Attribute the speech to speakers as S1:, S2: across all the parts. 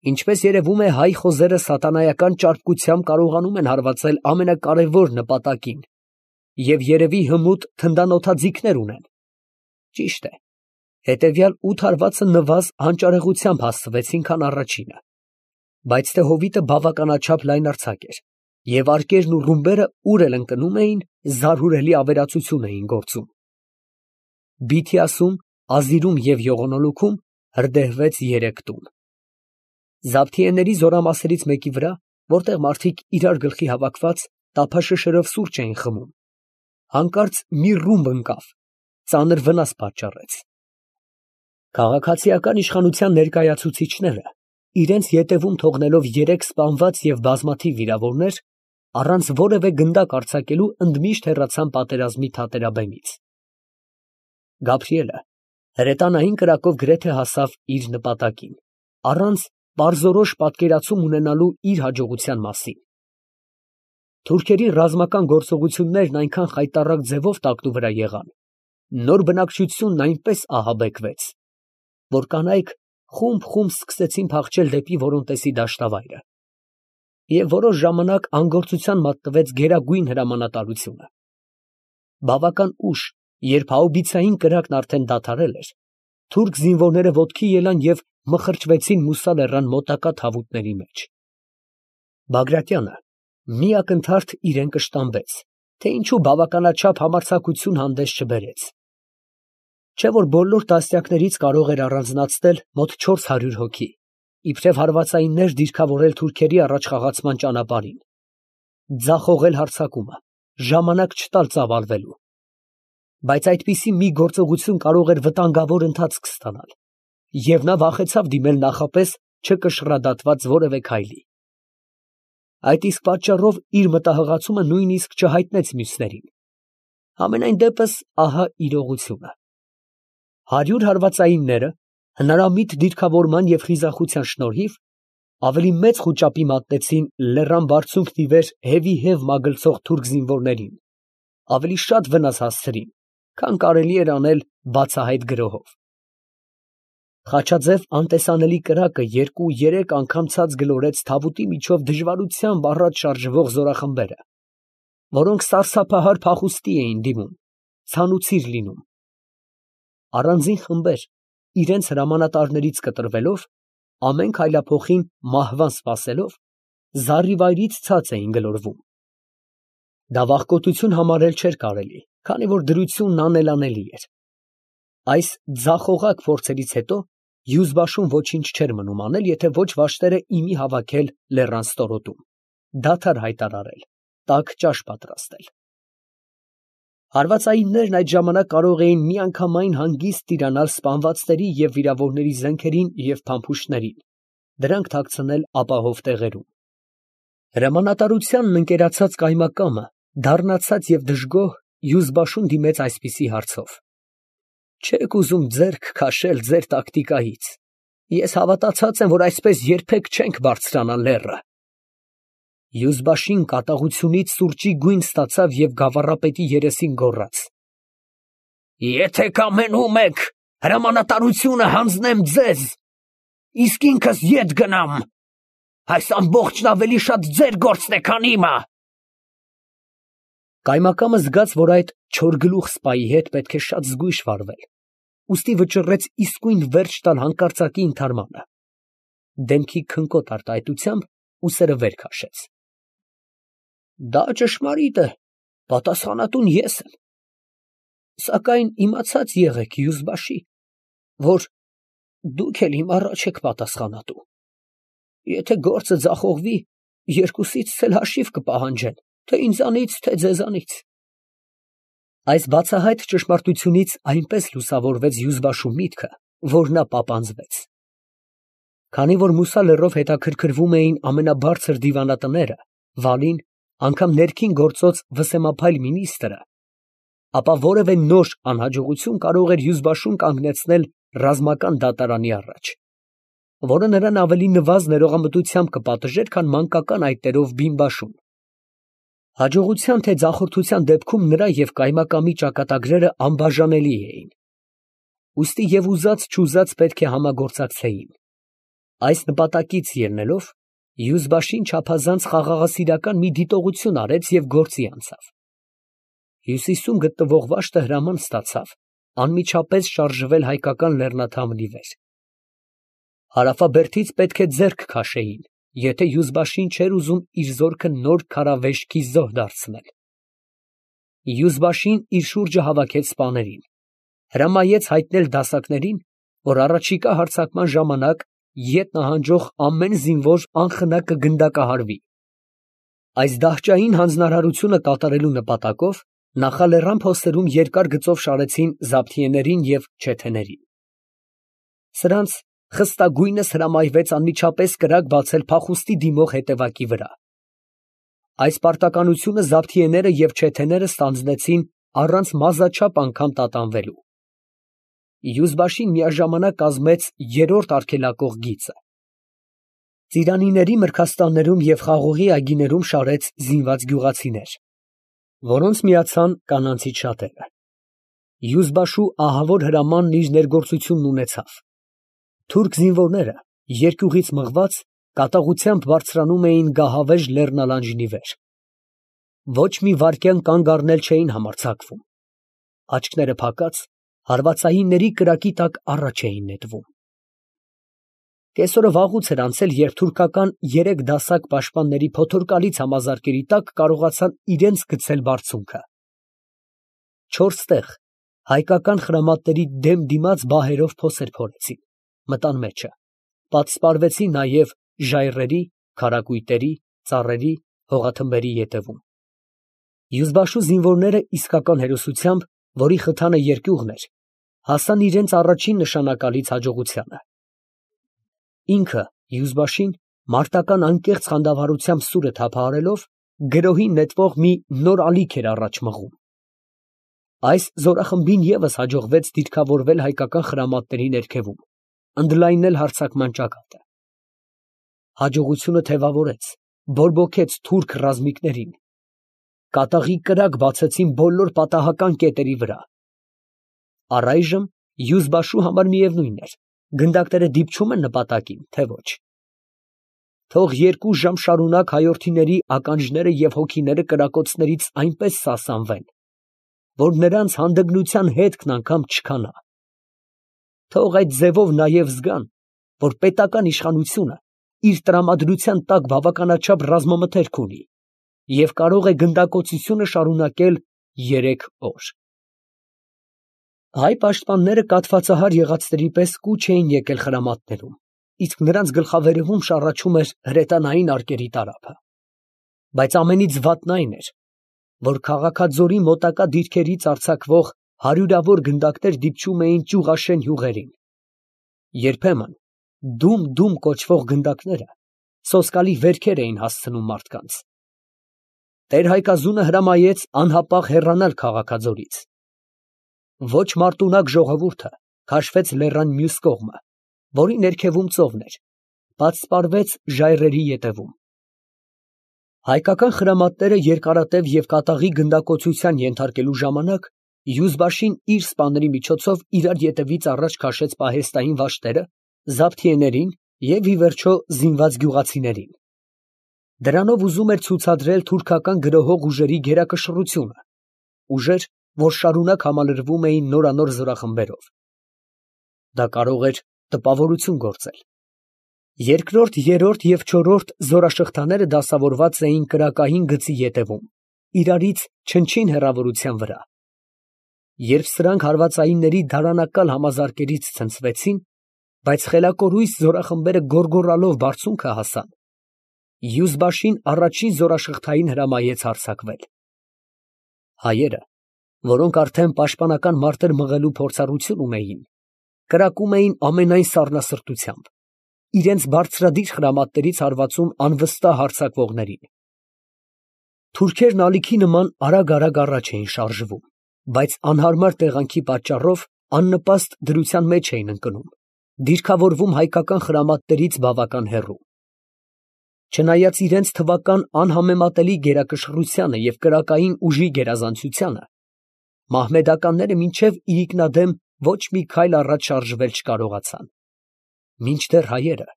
S1: Ինչպես երևում է, հայ խոզերը սատանայական ճարպկությամբ կարողանում են հարվածել ամենակարևոր նպատակին և երևի հմուտ թնդանոթաձիգներ ունեն։ Ճիշտ է, հետևյալ 8 հարվածը նվազ հանճարեղությամբ հասցվեցին, քան առաջինը, բայց թե հովիտը բավականաչափ լայնարձակ էր, և արկերն ու ռումբերը ուր էլ ընկնում էին, զարհուրելի ավերածություն էին գործում։ Բիթիասում, Ազիրում և Եղոնոլուքում հրդեհվեց 3 տուն։ Զավթիեների զորամասերից մեկի վրա, որտեղ մարդիկ իրար գլխի հավաքված տափաշշերով սուրճ էին խմում, հանկարծ մի ռումբ ընկավ, ծանր վնաս պատճառեց։ Քաղաքացիական իշխանության ներկայացուցիչները, իրենց ետևում թողնելով 3 սպանված և բազմաթիվ վիրավորներ, առանց որևէ գնդակ արձակելու ընդմիշտ հեռացան պատերազմի թատերաբեմից։ Գաբրիելը հրետանային կրակով գրեթե հասավ իր նպատակին, առանց պարզորոշ պատկերացում ունենալու իր հաջողության մասին։ Թուրքերի ռազմական գործողություններն այնքան խայտառակ ձևով տակնու վրա եղան, նոր բնակչությունն այնպես ահաբեկվեց, որ կանայք խումբ սկսեցին փախչել դեպի Որոնտեսի դաշտավայրը, և որոշ ժամանակ անգործության մատնվեց գերագույն հրամանատարությունը։ Բավական ուշ, երբ հաուբիցային կրակն արդեն դադարել էր, թուրք զինվորները ոտքի ելան և մխրճվեցին Մուսա լեռան մոտակա թավուտների մեջ։ Բագրատյանը մի ակնթարթ իրան կշտամբեց, թե ինչու բավականաչափ համարձակություն հանդես չբերեց։ Չէ՞ որ բոլոր դաստիարակներից կարող էր առանձնացնել մոտ 400 հոգի, իբրև հարվածայիններ դիրքավորել թուրքերի առաջխաղացման ճանապարհին, ձախողել հարձակումը, ժամանակ չտալ ծավալվելու։ Բայց այդպիսի մի գործողություն կարող էր վտանգավոր ընթացք ստանալ, և նա վախեցավ դիմել նախապես չկշռադատված որևէ քայլի։ Այդ իսկ պատճառով իր մտահղացումը նույնիսկ չհայտնեց մյուսներին։ Համենայն դեպս, ահա իրողությունը. 100 հարվածայինները, հնարամիտ դիրքավորման և խիզախության շնորհիվ, ավելի մեծ խուճապի մատնեցին լեռան բարձունքն ի վեր հևիհև մագլցող թուրք զինվորներին, ավելի շատ վնաս հասցրին, քան կարելի էր անել բացահայտ գրոհով։ Խաչաձև անտեսանելի կրակը 2-3 անգամ ցած գլորեց թավուտի միջով դժվարությամբ առաջ շարժվող զորախմբերը, որոնք սարսափահար փախուստի էին դիմում, ցանուցիր լինում։ Առանձին խմբեր, իրենց հրամանատարներից կտրվելով, ամեն քայլափոխին մահվան սպասելով, զառիվայրից ցած էին գլորվում։ Դա վախկոտություն համարել չէր կարելի, քանի որ դրությունն անելանելի էր։ Այս ձախողակ փորձերից հետո Յուզբաշում ոչինչ չէր մնում անել, եթե ոչ վաշտերը իմի հավաքել լեռան ստորոտում, դադար հայտարարել, տաք ճաշ պատրաստել։ Հարվածայիններն այդ ժամանակ կարող էին միանգամայն հանգիստ տիրանալ սպանվածների և վիրավորների զենքերին և փամփուշտներին, դրանք թաքցնել ապահով տեղերում։ Հրամանատարությանն ընկերացած կայմակամը, դառնացած և դժգոհ, Յուզբաշուն դիմեց այսպիսի հարցով. «Չե՞ք ուզում ձեռք քաշել ձեր տակտիկայից. ես հավատացած եմ, որ այսպես երբեք չենք բարձրանա լեռը»։ Յուզբաշին կատաղությունից սուրճի գույն ստացավ և գավառապետի երեսին գոռաց. «Եթե կամենում եք, հրամանատարությունը հանձնեմ ձեզ, իսկ ինքս ետ գնամ, այս ամբողջն ավելի շատ ձեր գործն է, քան իմը»։ Կայմակամը զգաց, որ այդ չորգլուխ սպայի հետ պետք է շատ զգույշ վարվել, ուստի վճռեց իսկույն վերջ տալ հանկարծակի ընդհարմանը, դեմքի քնկոտ արտահայտությամբ ուսերը վեր քաշեց։ «Դա ճշմարիտ է, պատասխանատուն ես եմ, սակայն իմացած եղեք, Յուզբաշի, որ դուք էլ իմ առաջ եք պատասխանատու. եթե գործը ձախողվի, երկուսիցս էլ հաշիվ կպահանջեն, թե ինձանից, թե ձեզանից»։ Այս բացահայտ ճշմարտությունից այնպես լուսավորվեց Յուզբաշու միտքը, որ նա պապանձվեց։ Քանի որ Մուսա լեռով հետաքրքրվում էին ամենաբարձր դիվանատները, վալին, անգամ ներքին գործոց վսեմափայլ մինիստրը, ապա որևէ նոր անհաջողություն կարող էր Յուզբաշուն կանգնեցնել ռազմական դատարանի առաջ, որը նրան ավելի նվազ ներողամտությամբ կպատժեր, քան մանկական այտերով բիմբաշուն։ Հաջողության թե ձախորդության դեպքում նրա և կայմակամի ճակատագրերը անբաժանելի էին, ուստի և ուզած չուզած պետք է համագործակցեին։ Այս նպատակից ելնելով, යուզբաշին չափազանց խաղաղասիրական մի դիտողություն արեց և գործի անցավ։ Հյուսիսում գտնվող վաշտը հրաման ստացավ անմիջապես շարժվել հայկական լեռնաթամնի վեր։ Հարավաբերդից պետք է ձեռք քաշեին, եթե යուզբաշին չէր ուզում իր զորքը նոր քարավեշքի զոհ դարձնել։ යուզբաշին իր շուրջը հավաքեց սպաներին, հրամայեց հայտնել դասակներին, որ առաջիկա հարձակման ժամանակ ետ նահանջող ամեն զինվոր անխնա կգնդակահարվի։ Այս դահճային հանձնարարությունը կատարելու նպատակով նախալեռան փոստերում երկար գծով շարեցին զաբթիեներին և չեթեներին։ Սրանց խստագույնս հրամայվեց անմիջապես կրակ բացել փախուստի դիմող հետևակի վրա։ Այս պարտականությունը զաբթիեները և չեթեները ստանձնեցին առանց մազաչափ անգամ տատանվելու։ යուզբաշին միաժամանակ կազմեց երրորդ արգելակող գիծը։ Ծիրանիների մրգաստաններում և խաղողի այգիներում շարեց զինված գյուղացիներ, որոնց միացան կանանցից շատերը։ යուզբաշու ահավոր հրամանն իր ներգործությունն ունեցավ։ Թուրք զինվորները, երկյուղից մղված, կատաղությամբ բարձրանում էին գահավեժ լեռնալանջնի վեր։ Ոչ մի վայրկյան կանգ առնել չէին համարձակվում։ Աչքները փակած, հարվածայինների կրակի տակ առաջ էին նետվում։ Կեսօրը վաղուց էր անցել, երբ թուրքական 3 դասակ պաշտպանների փոթորկալից համազարկերի տակ կարողացան իրենց գցել բարձունքը։ 4 տեղ հայկական խրամատների դեմ դիմաց բահերով փոսեր փորեցին, մտան մեջը, պատսպարվեցին նաև ժայռերի, քարակույտերի, ծառերի, հողաթմբերի ետևում։ යուզբաշու զինվորները իսկական հերոսությամբ, որի խթանը երկյուղն էր, հասան իրենց առաջին նշանակալից հաջողությանը։ Ինքը යուզբաշին մարտական անկեղծ խանդավառությամբ սուրը թափահարելով, գրոհին նետվող մի նոր ալիք էր առաջ մղում։ Այս զորախմբին ևս հաջողվեց դիրքավորվել հայկական խրամատների ներքևում, ընդլայնել հարձակման ճակատը։ Հաջողությունը թևավորեց, բորբոքեց թուրք ռազմիկներին։ Կատաղի կրակ բացեցին բոլոր պատահական կետերի վրա։ Առայժմ යուզբաշու համար միևնույն էր, գնդակները դիպչում են նպատակին, թե ոչ։ Թող 2 ժամ շարունակ հայորդիների ականջները և հոգիները կրակոցներից այնպես սասանվեն, որ նրանց հանդգնության հետքն անգամ չքանա։ Թող այդ ձևով նաև զգան, որ պետական իշխանությունը իր տրամադրության տակ բավականաչափ ռազմամթերք ունի և կարող է գնդակոծությունը շարունակել 3 օր։ Հայ պաշտպանները կաթվածահար եղածների պես կուչ էին եկել խրամատներում, իսկ նրանց գլխավերևում շառաչում էր հրետանային արկերի տարափը։ Բայց ամենից վատն այն էր, որ քաղաքաձորի մոտակա դիրքերից արձակվող հարյուրավոր գնդակներ դիպչում էին ճյուղաշեն հյուղերին։ Երբեմն դում կոչվող գնդակները սոսկալի վերքեր էին հասցնում մարդկանց։ Տեր֊Հայկազունը հրամայեց անհապաղ հեռանալ քաղաքաձորից։ Ոչ մարտունակ ժողովուրդը քաշվեց լեռան մյուս կողմը, որի ներքևում ծովն էր, պատսպարվեց ժայռերի ետևում։ Հայկական խրամատները երկարատև և կատաղի գնդակոծության ենթարկելու ժամանակ යուզբաշին իր սպաների միջոցով իրար ետևից առաջ քաշեց պահեստային վաշտերը, զաբթիեներին և ի վերջո զինված գյուղացիներին։ Դրանով ուզում էր ցուցադրել թուրքական գրոհող ուժերի գերակշռությունը, ուժեր, որ շարունակ համալրվում էին նորանոր զորախմբերով։ Դա կարող էր տպավորություն գործել։ Երկրորդ, երրորդ և չորրորդ զորաշղթաները դասավորված էին կրակային գծի ետևում, իրարից չնչին հեռավորության վրա։ Երբ սրանք հարվածայինների դարանակալ համազարկերից ցնցվեցին, բայց խելակորույս զորախմբերը գոռգոռալով բարձունքը հասան, යուզբաշին առաջին զորաշղթային հրամայեց հարձակվել։ Հայերը, որոնք արդեն պաշտպանական մարտեր մղելու փորձառություն ունեին, կրակում էին ամենայն սառնասրտությամբ, իրենց բարձրադիր խրամատներից հարվածում անվստահ հարձակվողներին։ Թուրքերն ալիքի նման արագ առաջ էին շարժվում, բայց անհարմար տեղանքի պատճառով աննպաստ դրության մեջ էին ընկնում, դիրքավորվում հայկական խրամատներից բավական հեռու։ Չնայած իրենց թվական անհամեմատելի գերակշռությանը և կրակային ուժի գերազանցությանը, մահմեդականները մինչև իրիկնադեմ ոչ մի քայլ առաջ շարժվել չկարողացան։ Մինչդեռ հայերը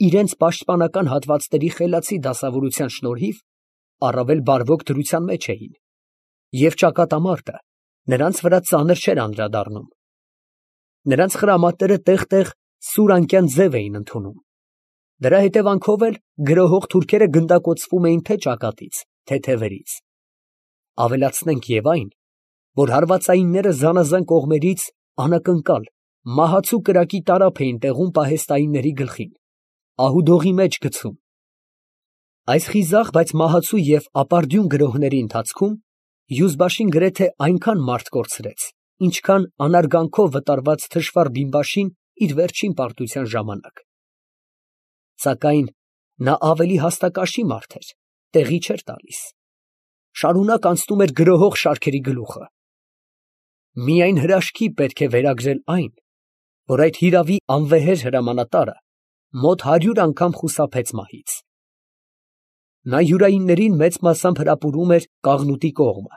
S1: իրենց պաշտպանական հատվածների խելացի դասավորության շնորհիվ առավել բարվոք դրության մեջ էին, և ճակատամարտը նրանց վրա ծանր չէր անդրադառնում. նրանց խրամատները տեղ֊տեղ սուր անկյան ձև էին ընդունում, դրա հետևանքով էլ գրոհող թուրքերը գնդակոծվում էին թե ճակատից, թե թևերից. ավելացնենք և այն, որ հարվածայինները զանազան կողմերից անակնկալ, մահացու կրակի տարափ էին տեղում պահեստայինների գլխին, ահուդողի մեջ գցում. այս խիզախ, բայց մահացու և ապարդյուն գրոհների ընթացքում Յուզբաշին գրեթե այնքան մարդ կորցրեց, ինչքան անարգանքով վտարված թշվառ բիմբաշին իր վերջին պարտության ժամանակ. սակայն նա ավելի հաստակաշի մարդ էր, տեղի չէր տալիս, շարունակ անցնում էր գրոհող շարքերի գլուխը. միայն հրաշքի պետք է վերագրել այն, որ այդ հիրավի անվեհեր հրամանատարը մոտ 100 անգամ խուսափեց մահից. նա յուրայիններին մեծ մասամբ հրապուրում էր Կաղնուտի կողմը,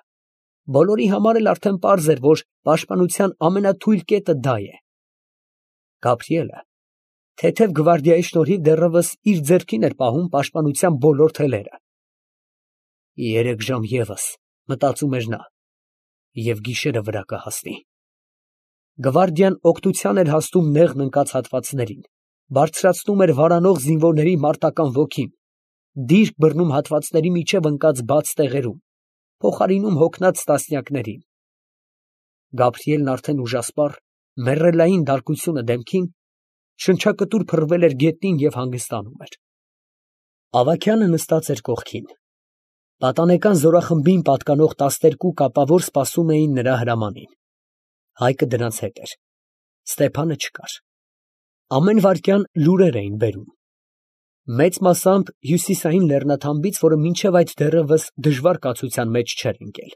S1: բոլորի համար էլ արդեն պարզ էր, որ պաշտպանության ամենաթույլ կետը դա է. Գաբրիելը թեթև գվարդիայի շնորհիվ դեռևս իր ձեռքին էր պահում պաշտպանության բոլոր թելերը։ 3 ժամ ևս, մտածում էր նա, և գիշերը վրա կհասնի։ Գվարդիան օգնության էր հասնում նեղն ընկած հատվածներին, բարձրացնում էր վարանող զինվորների մարտական ոգին, դիրք բռնում հատվածների միջև ընկած բաց տեղերում, փոխարինում հոգնած տասնյակներին։ Գաբրիելն արդեն ուժասպառ, մեռելային դարկությունը դեմքին, շնչակտուր փռվել էր գետնին և հանգստանում էր։ Ավագյանը նստած էր կողքին։ Պատանեկան զորախմբին պատկանող 12 կապավոր սպասում էին նրա հրամանին։ Հայկը դրանց հետ էր։ Ստեփանը չկար։ Ամեն վայրկյան լուրեր էին բերում։ Մեծ մասամբ հյուսիսային լեռնաթամբից, որը մինչև այդ դեռևս դժվար կացության մեջ չէր ընկել։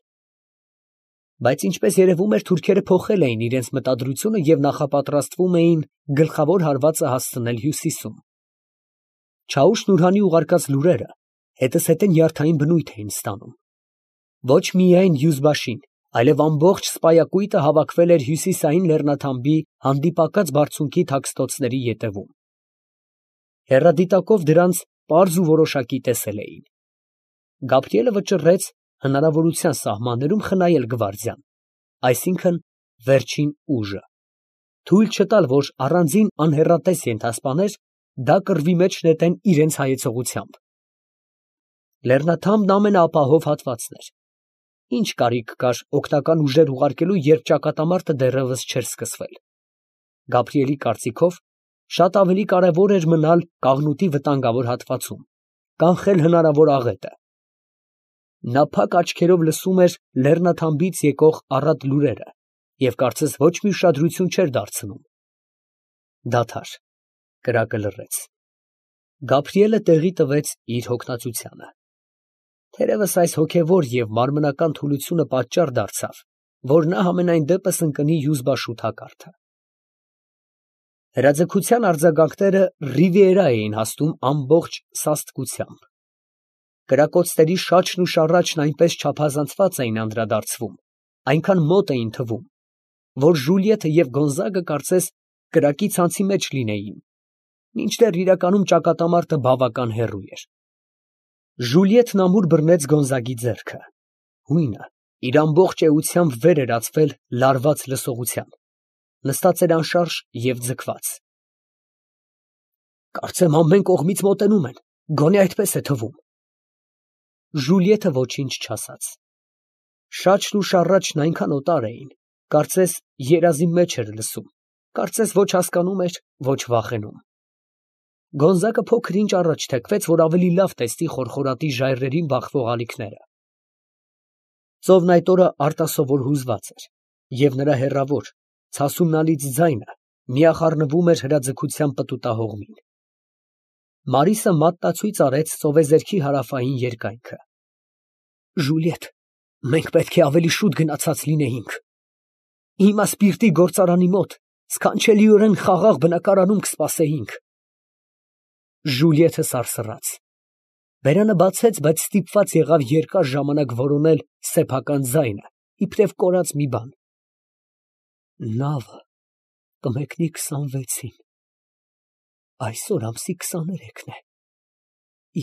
S1: Բայց ինչպես երևում էր, թուրքերը փոխել էին իրենց մտադրությունը և նախապատրաստվում էին գլխավոր հարվածը հասցնել հյուսիսում։ Չաուշ֊Նուրհանի ուղարկած լուրերը հետզհետե նյարդային բնույթ էին ստանում։ Ոչ միայն Յուզբաշին, այլև ամբողջ սպայակույտը հավաքվել էր հյուսիսային լեռնաթամբի հանդիպակաց բարձունքի թաքստոցների ետևում։ Հեռադիտակով դրանց պարզ ու որոշակի տեսել էին։ Գաբրիելը վճռեց հնարավորության սահմաններում խնայել գվարդիան, այսինքն վերջին ուժը, թույլ չտալ, որ առանձին անհեռատես ենթասպաներ դա կռվի մեջ նետեն իրենց հայեցողությամբ։ Լեռնաթամբն ամենաապահով հատվածն էր։ Ինչ կարիք կար օգնական ուժեր ուղարկելու, երբ ճակատամարտը դեռևս չէր սկսվել։ Գաբրիելի կարծիքով, շատ ավելի կարևոր էր մնալ Կաղնուտի վտանգավոր հատվածում, կանխել հնարավոր աղետը։ Նա փակ աչքերով լսում էր լեռնաթամբից եկող առատ լուրերը և կարծես ոչ մի ուշադրություն չէր դարձնում։ Դադար, կրակը լռեց։ Գաբրիելը տեղի տվեց իր հոգնածությանը։ Թերևս այս հոգևոր և մարմնական թուլությունը պատճառ դարձավ, որ նա համենայն դեպս ընկնի Յուզբաշու թակարդը։ Հրաձգության արձագանքները Ռիվիերա էին հասնում ամբողջ սաստկությամբ։ Կրակոցների շաչն ու շառաչն այնպես չափազանցված էին անդրադարձվում, այնքան մոտ էին թվում, որ Ժուլիեթը և Գոնզագը կարծես կրակի ցանցի մեջ լինեին, մինչդեռ իրականում ճակատամարտը բավական հեռու էր։ Ժուլիեթն ամուր բռնեց Գոնզագի ձեռքը, հույնը իր ամբողջ էությամբ վեր էր ածվել լարված լսողության, նստած էր անշարժ և ձգված։ Կարծեմ ամեն կողմից մոտենում են, գոնե այդպես է թվում։ Ժուլիեթը ոչինչ չասաց։ Շաչն ու շառաչն այնքան օտար էին, կարծես երազի մեջ էր լսում, կարծես ոչ հասկանում էր, ոչ վախենում։ Գոնզագը փոքր-ինչ առաջ թեքվեց, որ ավելի լավ տեսնի խորխորատի ժայռերին բախվող ալիքները։ Ծովն այդ օրը արտասովոր հուզված էր, և նրա հեռավոր, ցասունալից ձայնը միախառնվում էր հրաձգության պտուտահողմին։ Մարիսը մատնացույց արեց ծովեզերքի հարավային երկայնքը։ Ժուլիետ, մենք պետք է ավելի շուտ գնացած լինեինք։ Հիմա սպիրտի գործարանի մոտ սքանչելիորեն խաղաղ բնակարանում կսպասեինք։ Ժուլիեթը սարսռաց։ Բերանը բացեց, բայց ստիպված եղավ երկար ժամանակ որոնել սեփական ձայնը, իբրև կորած մի բան։ Նավը կմեկնի 26-ին։ Այսօր ամսի 23-ն է։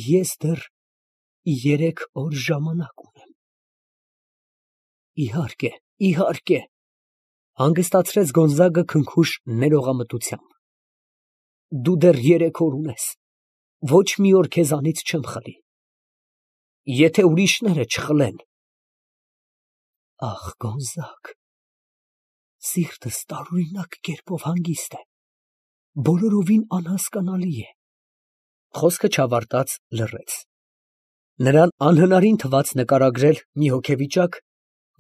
S1: Ես դեռ 3 օր ժամանակ ունեմ։ Իհարկե, իհարկե, հանգստացրեց Գոնզագը քնքուշ ներողամտությամբ։ Դու դեռ 3 օր ունես, ոչ մի օր քեզանից չեմ խլի։ Եթե ուրիշները չխլեն… Ախ, Գոնզագ, սիրտս տարօրինակ կերպով հանգիստ է, բոլորովին անհասկանալի է։ Խոսքը չավարտած լռեց։ Նրան անհնարին թվաց նկարագրել մի հոգեվիճակ,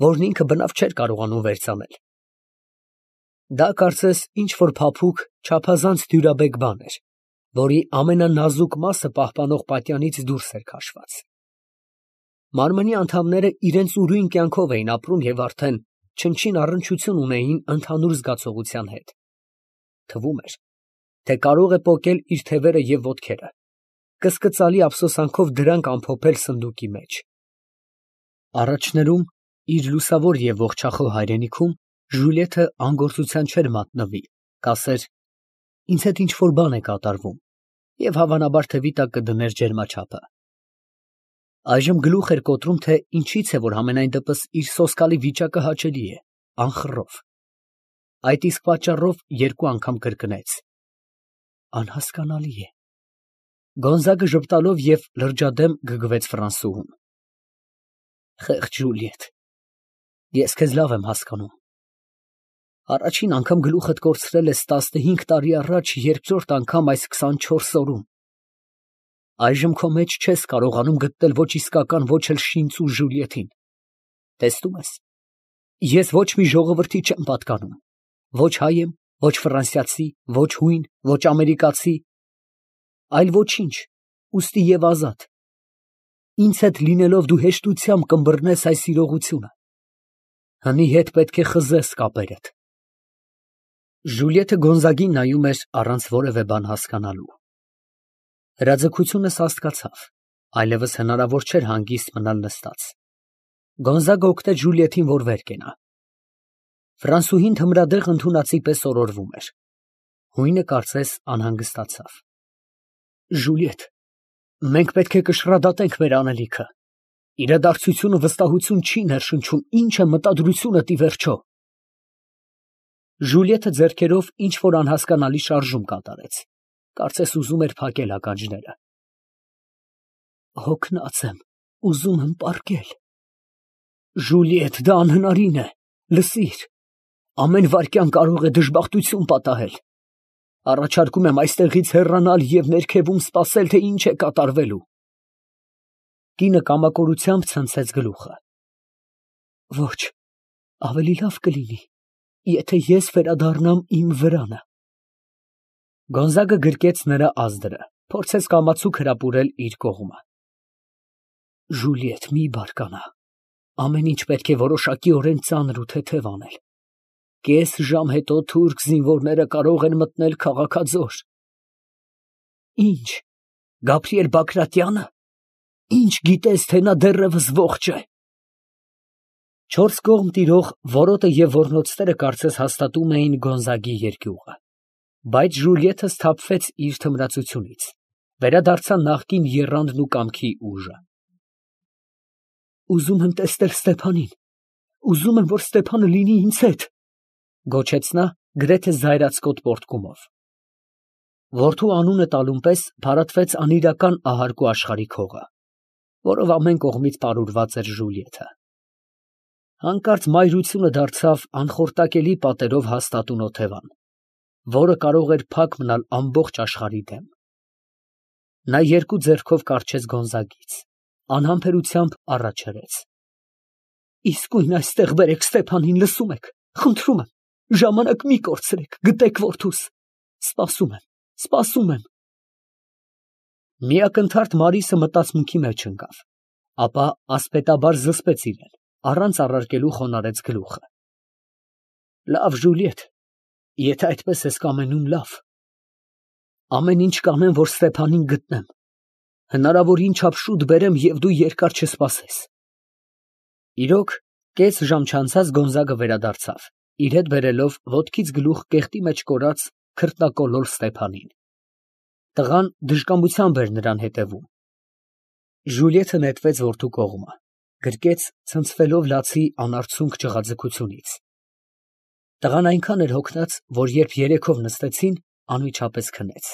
S1: որն ինքը բնավ չէր կարողանում վերցնել։ Դա կարծես ինչ-որ փափուկ, չափազանց դյուրաբեկ բան էր, որի ամենանազուկ մասը պահպանող պատյանից դուրս էր քաշված։ Մարմնի անդամները իրենց ուրույն կյանքով էին ապրում և արդեն չնչին առնչություն ունեին ընդհանուր զգացողության հետ։ Թվում էր, թե կարող է պոկել իր թևերը և ոտքերը, կսկծալի ափսոսանքով դրանք ամփոփել սնդուկի մեջ։ Առաջներում, իր լուսավոր և ողջախոհ հայրենիքում, Ժուլիեթը անգործության չէր մատնվի, կասեր. «Ինձ հետ ինչ֊որ բան է կատարվում» և հավանաբար թևի տակ կդներ ջերմաչափը։ Այժմ գլուխ էր կոտրում, թե ինչից է, որ համենայն դեպս իր սոսկալի վիճակը հաճելի է, անխռով։ Այդ իսկ պատճառով 2 անգամ կրկնեց. «Անհասկանալի է»։ Գոնզագը ժպտալով և լրջադեմ գգվեց Ֆրանսուհուն։ Խեղճ Ժուլիետ, ես քեզ լավ եմ հասկանում։ Առաջին անգամ գլուխդ կորցրել ես 15 տարի առաջ, երկրորդ անգամ այս 24 օրում։ Այժմ քո մեջ չես կարողանում գտնել ոչ իսկական, ոչ էլ շինծու Ժուլիետին։ Տեսնում ես, ես ոչ մի ժողովրդի չեմ պատկանում, ոչ հայ եմ, ոչ ֆրանսիացի, ոչ հույն, ոչ ամերիկացի, այլ ոչինչ, ուստի և ազատ։ Ինձ հետ լինելով դու հեշտությամբ կըմբռնես այս իրողությունը։ Հնի հետ պետք է խզես կապերդ։ Ժուլիեթը Գոնզագին նայում էր առանց որևէ բան հասկանալու։ Հրաձգությունը սաստկացավ, այլևս հնարավոր չէր հանգիստ մնալ նստած։ Գոնզագը օգնեց Ժուլիեթին, որ վեր կենա։ Ֆրանսուհին թմրադեղ ընդունածի պես օրորվում էր։ Հույնը կարծես անհանգստացավ։ Ժուլիեթ, մենք պետք է կշռադատենք մեր անելիքը։ Իրադարձությունը վստահություն չի ներշնչում, ինչ է մտադրությունդ ի վերջո։ Ժուլիեթը ձեռքերով ինչ֊որ անհասկանալի շարժում կատարեց, կարծես ուզում էր փակել ականջները։ Հոգնած եմ, ուզում եմ պառկել։ Ժուլիետ, դա անհնարին է, լսիր, ամեն վայրկյան կարող է դժբախտություն պատահել։ Առաջարկում եմ այստեղից հեռանալ և ներքևում սպասել, թե ինչ է կատարվելու։ Կինը կամակորությամբ ցնցեց գլուխը։ Ոչ, ավելի լավ կլինի, եթե ես վերադառնամ իմ վրանը։ Գոնզագը գրկեց նրա ազդրը, փորձեց կամացուկ հրապուրել իր կողմը։ Ժուլիետ, մի բարկանա, ամեն ինչ պետք է որոշակիորեն ծանր ու թեթև անել։ Կես ժամ հետո թուրք զինվորները կարող են մտնել քաղաքաձոր։ Ինչ, Գաբրիել Բագրատյա՞նը։ Ինչ գիտես, թե նա դեռևս ողջ է։ 4 կողմ տիրող որոտը և ոռնոցները կարծես հաստատում էին Գոնզագի երկյուղը։ Բայց Ժուլիեթը սթափվեց իր թմրացությունից, վերադարձավ նախկին եռանդն ու կամքի ուժը։ Ուզում եմ տեսնել Ստեփանին, ուզում եմ, որ Ստեփանը լինի ինձ հետ, գոչեց նա գրեթե զայրացկոտ պոռթկումով։ Որդու անունը տալուն պես փարատվեց անիրական ահարկու աշխարհիկ հողը, որով ամեն կողմից պարուրված էր Ժուլիեթը։ Հանկարծ մայրությունը դարձավ անխորտակելի պատերով հաստատուն օթևան, որը կարող էր փակ մնալ ամբողջ աշխարհի դեմ։ Նա 2 ձեռքով կառչեց Գոնզագից, անհամբերությամբ առաջ հրեց։ Իսկույն այստեղ բերեք Ստեփանին, լսում եք, խնդրում եմ, ժամանակ մի կորցրեք, գտեք որդուս, սպասում եմ, սպասում եմ։ Միակնթարթ Մարիսը մտածմունքի մեջ ընկավ, ապա ասպետաբար զսպեց իրեն, առանց առարկելու խոնարհեց գլուխը։ Լավ, Ժուլիետ, եթե այդպես ես կամենում, լավ։ Ամեն ինչ կանեմ, որ Ստեփանին գտնեմ, հնարավորին չափ շուտ բերեմ և դու երկար չսպասես։ Իրոք, կես ժամ չանցած Գոնզագը վերադարձավ, իր հետ բերելով ոտքից գլուխ կեղտի մեջ կորած քրտնակոլոր Ստեփանին։ Տղան դժկամությամբ էր նրան հետևում։ Ժուլիեթը նետվեց որդու կողմը, գրկեց ցնցվելով լացի անարցունք ճղաձգությունից։ Տղան այնքան էր հոգնած, որ երբ երեքով նստեցին, անմիջապես քնեց։